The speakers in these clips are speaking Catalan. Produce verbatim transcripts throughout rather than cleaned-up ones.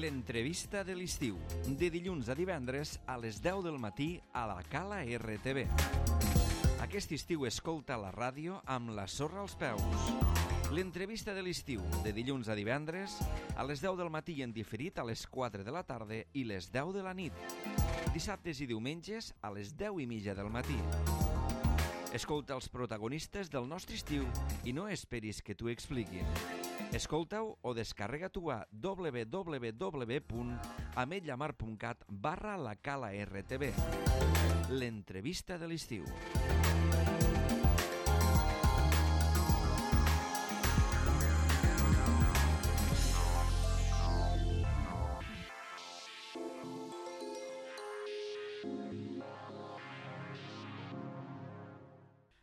L'entrevista de l'estiu, de dilluns a divendres a les deu del matí a la Cala R T V. Aquest estiu escolta la ràdio amb la sorra als peus. L'entrevista de l'estiu, de dilluns a divendres a les deu del matí i en diferit a les quatre de la tarda i les deu de la nit. Dissabtes i diumenges a les deu i mitja del matí. Escolta els protagonistes del nostre estiu i no esperis que t'ho expliquin. Escolta-ho o descarrega-t'ho a w w w punt ametlllamar punt cat barra la Cala R T V. L'entrevista de l'estiu.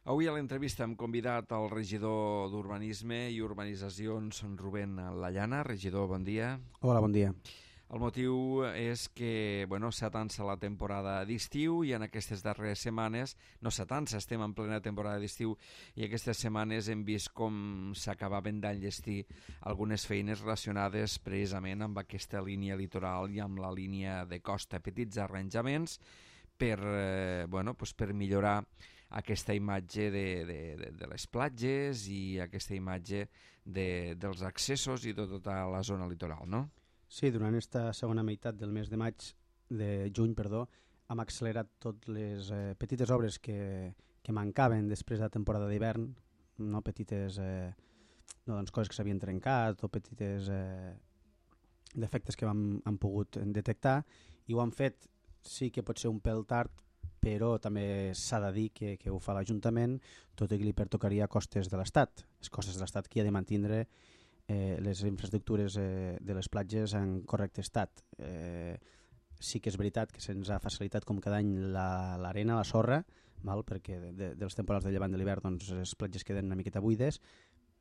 Avui a l'entrevista hem convidat el regidor d'Urbanisme i Urbanitzacions, Rubén Llana. Regidor, bon dia. Hola, bon dia. El motiu és que bueno, s'atansa la temporada d'estiu i en aquestes darreres setmanes, no s'atansa, estem en plena temporada d'estiu i aquestes setmanes hem vist com s'acabaven d'enllestir algunes feines relacionades precisament amb aquesta línia litoral i amb la línia de costa, petits arranjaments per, eh, bueno, pues per millorar aquesta imatge de, de, de, de les platges i aquesta imatge de, dels accessos i de tota la zona litoral, no? Sí, durant aquesta segona meitat del mes de maig, de juny, perdó, hem accelerat totes les eh, petites obres que, que mancaven després de la temporada d'hivern, no petites eh, no, doncs coses que s'havien trencat o petites eh, defectes que vam, hem pogut detectar, i ho han fet, sí que pot ser un pèl tard, però també s'ha de dir que, que ho fa l'Ajuntament, tot i que li pertocaria a costes de l'Estat. Les costes de l'Estat que ha de mantindre eh, les infraestructures eh, de les platges en correcte estat. Eh, sí que és veritat que se'ns ha facilitat com cada any l'arena, la, la sorra, val? Perquè de, de, dels temporals de llevant de l'hivern doncs, les platges queden una miqueta buides,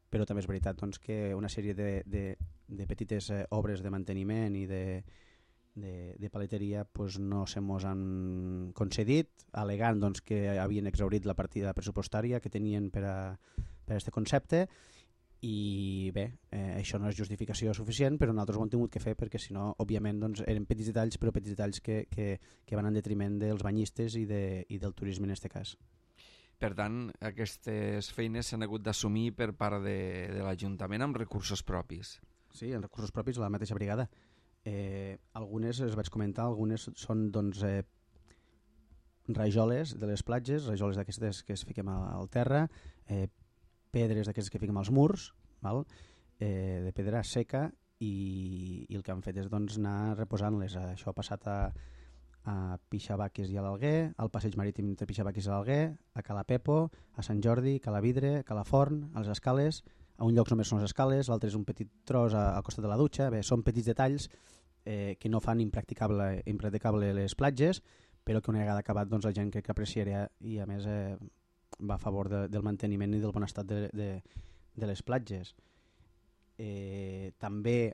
però també és veritat doncs, que una sèrie de, de, de petites eh, obres de manteniment i de de, de paleteria pues, no se mos han concedit, alegant doncs, que havien exhaurit la partida pressupostària que tenien per a, per a este concepte, i bé, eh, això no és justificació suficient, però nosaltres ho hem tingut que fer perquè si no, òbviament, doncs, eren petits detalls, però petits detalls que, que, que van en detriment dels banyistes i, de, i del turisme en aquest cas. Per tant, aquestes feines s'han hagut d'assumir per part de, de l'Ajuntament amb recursos propis. Sí, amb recursos propis, la mateixa brigada. Eh, algunes, els vaig comentar, algunes són doncs, eh, rajoles de les platges, rajoles d'aquestes que es fiquem al terra, eh, pedres d'aquestes que fiquem als murs, val? Eh, de pedra seca, i, i el que han fet és doncs, anar reposant-les. Això ha passat a, a Pixabaques i a l'Alguer, al passeig marítim entre Pixabaques i l'Alguer, a Cala Pepo, a Sant Jordi, Cala Vidre, Cala Forn, a les Escales. A un lloc només són les escales, l'altre és un petit tros al costat de la dutxa. Bé, són petits detalls eh, que no fan impracticable, impracticable les platges, però que una vegada acabat doncs, la gent crec que apreciarà i a més eh, va a favor de, del manteniment i del bon estat de, de, de les platges. Eh, també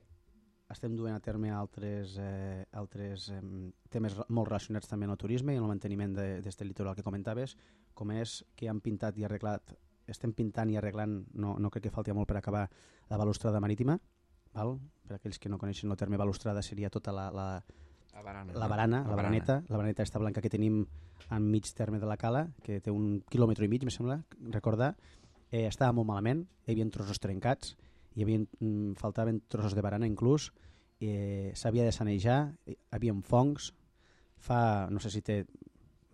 estem duent a terme altres, eh, altres eh, temes molt relacionats també amb el turisme i amb el manteniment d'aquest litoral que comentaves, com és que han pintat i arreglat estem pintant i arreglant, no, no crec que falti molt per acabar, la balustrada marítima, val? Per aquells que no coneixen el terme balustrada seria tota la, la, la barana, la, barana, la, la baraneta, la baraneta esta blanca que tenim en mig terme de la cala, que té un quilòmetre i mig, me sembla, recordar, eh, estava molt malament, hi havia trossos trencats, hi havia, mm, faltaven trossos de barana inclús, eh, s'havia de sanejar, hi havia fongs, fa, no sé si té,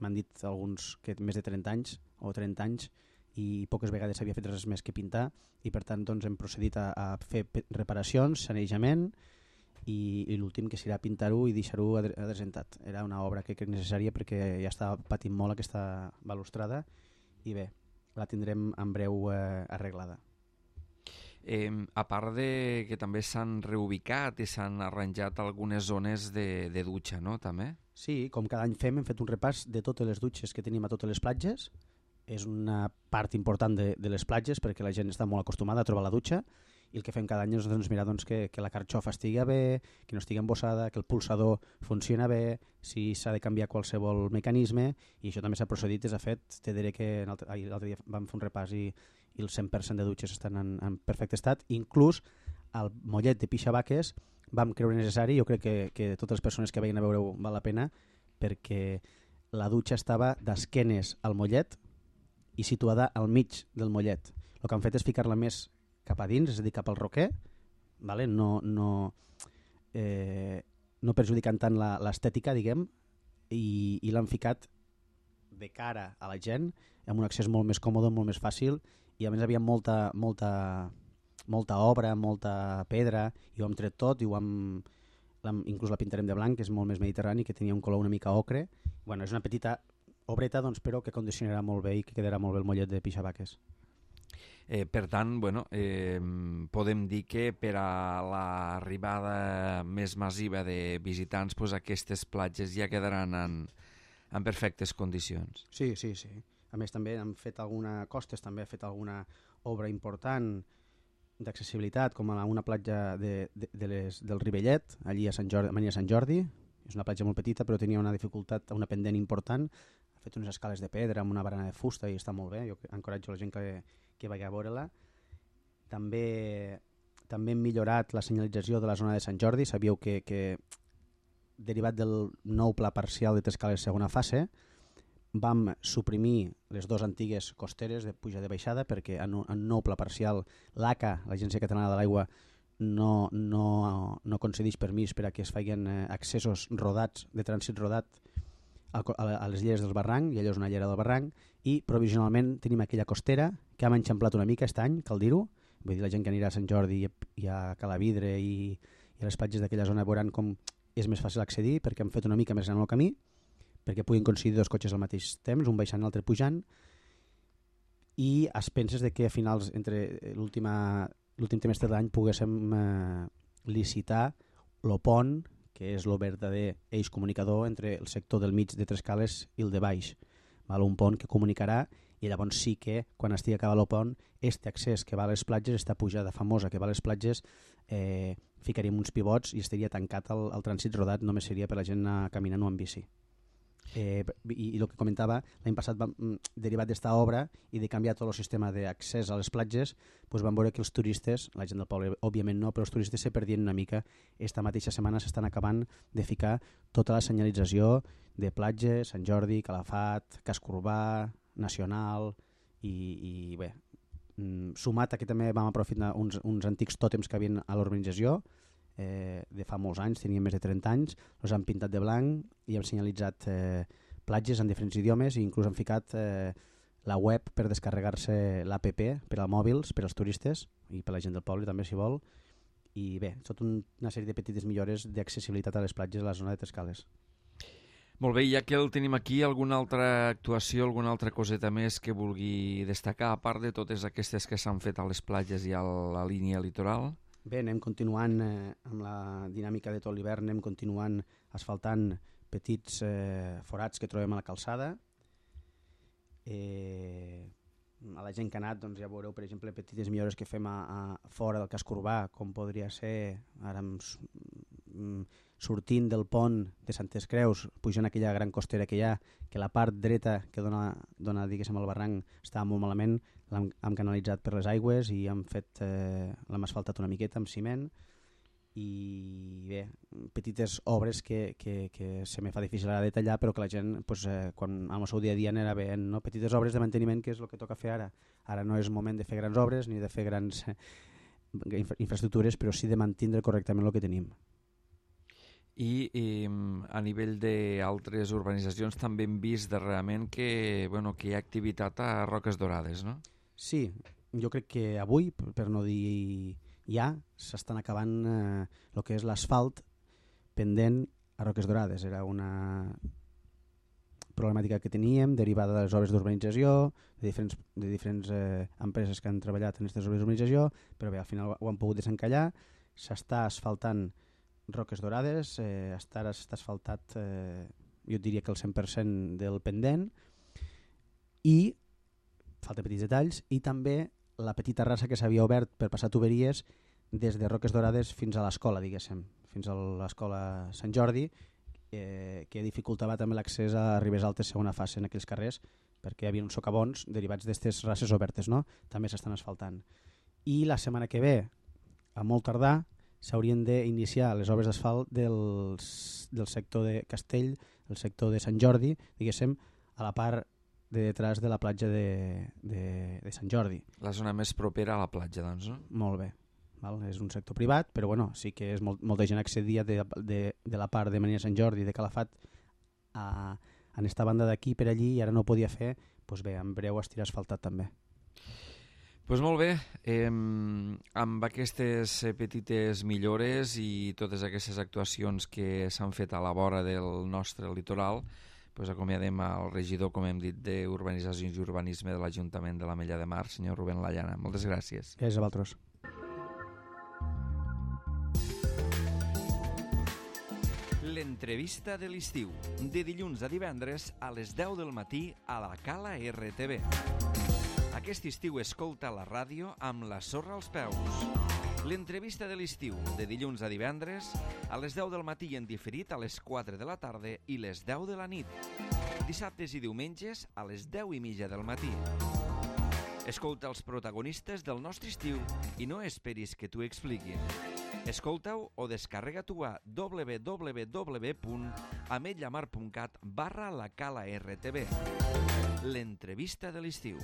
m'han dit alguns que més de trenta anys o trenta anys, i poques vegades s'havia fet res més que pintar, i per tant doncs, hem procedit a, a fer reparacions, sanejament, i, i l'últim que serà pintar-ho i deixar-ho adrecentat. Era una obra que crec necessària perquè ja estava patint molt aquesta balustrada i bé, la tindrem en breu eh, arreglada. Eh, a part de que també s'han reubicat i s'han arranjat algunes zones de, de dutxa, no? També? Sí, com cada any fem, hem fet un repàs de totes les dutxes que tenim a totes les platges. És una part important de, de les platges perquè la gent està molt acostumada a trobar la dutxa, i el que fem cada any és doncs, mirar doncs, que, que la carxofa estigui bé, que no estigui embossada, que el pulsador funciona bé, si s'ha de canviar qualsevol mecanisme, i això també s'ha procedit, és a fet, te diré que l'altre dia vam fer un repàs i, i el cent per cent de dutxes estan en, en perfecte estat, inclús al mollet de Pixabaques vam creure necessari. Jo crec que, que totes les persones que vagin a veure-ho val la pena, perquè la dutxa estava d'esquenes al mollet i situada al mig del mollet. El que han fet és ficar-la més cap a dins, és a dir, cap al roquer, vale? no, no, eh, no perjudicant tant l'estètica, diguem, i, i l'han ficat de cara a la gent, amb un accés molt més còmode, molt més fàcil, i a més havia molta, molta, molta obra, molta pedra, i ho hem tret tot, i ho hem, inclús la pintarem de blanc, que és molt més mediterrani, que tenia un color una mica ocre. Bueno, és una petita obreta, doncs, però que condicionarà molt bé i que quedarà molt bé el mollet de pixabaques. Eh, per tant, bueno, eh, podem dir que per a l'arribada més massiva de visitants, pues, aquestes platges ja quedaran en, en perfectes condicions. Sí, sí, sí. A més, també han fet alguna costes, també ha fet alguna obra important d'accessibilitat, com a una platja de, de, de les, del Rivellet, allí a Sant Jordi, a Sant Jordi. És una platja molt petita, però tenia una dificultat, una pendent important. Ha fet unes escales de pedra amb una barana de fusta i està molt bé. Jo encoratjo la gent que, que vagi a veure-la. També, també hem millorat la senyalització de la zona de Sant Jordi. Sabíeu que, que derivat del nou pla parcial de Trescales segona fase, vam suprimir les dues antigues costeres de puja de baixada perquè en un nou pla parcial l'A C A, l'Agència Catalana de l'Aigua, no, no, no concedeix permís per a que es facin accessos rodats, de trànsit rodat a, a les lleres del barranc, i allò és una llera del barranc, i provisionalment tenim aquella costera que hem enxamplat una mica aquest any, cal dir-ho. Vull dir, la gent que anirà a Sant Jordi i, i a Calavidre i, i a les platges d'aquella zona veuran com és més fàcil accedir, perquè hem fet una mica més gran el camí, perquè puguin coincidir dos cotxes al mateix temps, un baixant i l'altre pujant, i es penses de que a finals, entre l'últim trimestre de l'any, poguéssim eh, licitar el pont, que és el verdader eix comunicador entre el sector del mig de Trescales i el de baix. Val? Un pont que comunicarà, i llavors sí que, quan estigui acabat el pont, este accés que va a les platges, esta pujada famosa que va a les platges, eh, ficaríem uns pivots i estaria tancat el, el trànsit rodat, només seria per la gent anar caminant o amb bici. Eh, i, i el que comentava, l'any passat vam, derivat d'esta obra i de canviar tot el sistema d'accés a les platges, doncs vam veure que els turistes, la gent del poble òbviament no, però els turistes se perdien una mica. Esta mateixa setmana s'estan acabant de ficar tota la senyalització de platges, Sant Jordi, Calafat, Casc Urbà, Nacional, i, i bé, sumat a que també vam aprofitar uns, uns antics tòtems que havien a l'urbanització, Eh, de fa molts anys, tenien més de trenta anys, els han pintat de blanc i hem senyalitzat eh, platges en diferents idiomes, i inclús han ficat eh, la web per descarregar-se l'A P P per als mòbils, per als turistes i per la gent del poble també, si vol. I bé, tot un, una sèrie de petites millores d'accessibilitat a les platges a la zona de Trescales. Molt bé, ja que el tenim aquí, alguna altra actuació, alguna altra coseta més que vulgui destacar, a part de totes aquestes que s'han fet a les platges i a la línia litoral? Bé, anem continuant eh, amb la dinàmica de tot l'hivern, anem continuant asfaltant petits eh, forats que trobem a la calçada. Eh, a la gent que ha anat, doncs, ja veureu, per exemple, petites millores que fem a, a fora del casc urbà, com podria ser ara mm, sortint del pont de Santes Creus, pujant aquella gran costera que hi ha, que la part dreta que dona, dona diguéssim, al barranc estava molt malament, l'hem hem canalitzat per les aigües i hem fet eh, l'hem asfaltat una miqueta amb ciment, i bé, petites obres que, que, que se me fa difícil ara detallar, però que la gent pues, eh, quan amb el seu dia a dia anirà veient, no? Petites obres de manteniment, que és el que toca fer ara. Ara no és moment de fer grans obres ni de fer grans eh, infraestructures, però sí de mantindre correctament el que tenim. I, i a nivell d'altres urbanitzacions també hem vist darrerament que, bueno, que hi ha activitat a Roques Dorades, no? Sí, jo crec que avui, per no dir ja, s'estan acabant eh, el que és l'asfalt pendent a Roques Dorades. Era una problemàtica que teníem derivada de les obres d'urbanització, de diferents, de diferents eh, empreses que han treballat en aquestes obres d'urbanització, però bé, al final ho han pogut desencallar. S'està asfaltant Roques Dorades, eh, està, està asfaltat eh, jo diria que el cent per cent del pendent, i falta petits detalls, i també la petita rasa que s'havia obert per passar tuberies des de Roques Dorades fins a l'escola, diguéssim, fins a l'escola Sant Jordi, eh, que dificultava també l'accés a Ribes Altes segona fase en aquells carrers, perquè hi havia uns socavons derivats d'aquestes rases obertes, no? També s'estan asfaltant. I la setmana que ve, a molt tardar, s'haurien d'iniciar les obres d'asfalt del, del sector de Castell, el sector de Sant Jordi, diguéssim, a la part de detrás de la platja de, de, de Sant Jordi. La zona més propera a la platja, doncs, no? Molt bé. Val? És un sector privat, però bueno, sí que és molt, molta gent accedia de, de, de la part de Marina Sant Jordi, de Calafat, a, en esta banda d'aquí per allí, i ara no ho podia fer, doncs bé, en breu estirà asfaltat també. Pues molt bé, eh, amb aquestes petites millores i totes aquestes actuacions que s'han fet a la vora del nostre litoral, pues acomiadem al regidor, com hem dit, d'Urbanitzacions i Urbanisme de l'Ajuntament de l'Ametlla de Mar, senyor Rubén Lallana. Moltes gràcies. Gràcies a vosaltres. L'entrevista de l'estiu, de dilluns a divendres a les deu del matí a la Cala R T V. Aquest estiu escolta la ràdio amb la sorra als peus. L'entrevista de l'estiu, de dilluns a divendres, a les deu del matí i en diferit a les quatre de la tarda i les deu de la nit. Dissabtes i diumenges a les deu i mitja del matí. Escolta els protagonistes del nostre estiu i no esperis que t'ho expliquin. Escolta-ho o descarrega-t'ho a w w w punt ametllamar punt cat barra la cala R T V. L'entrevista de l'estiu.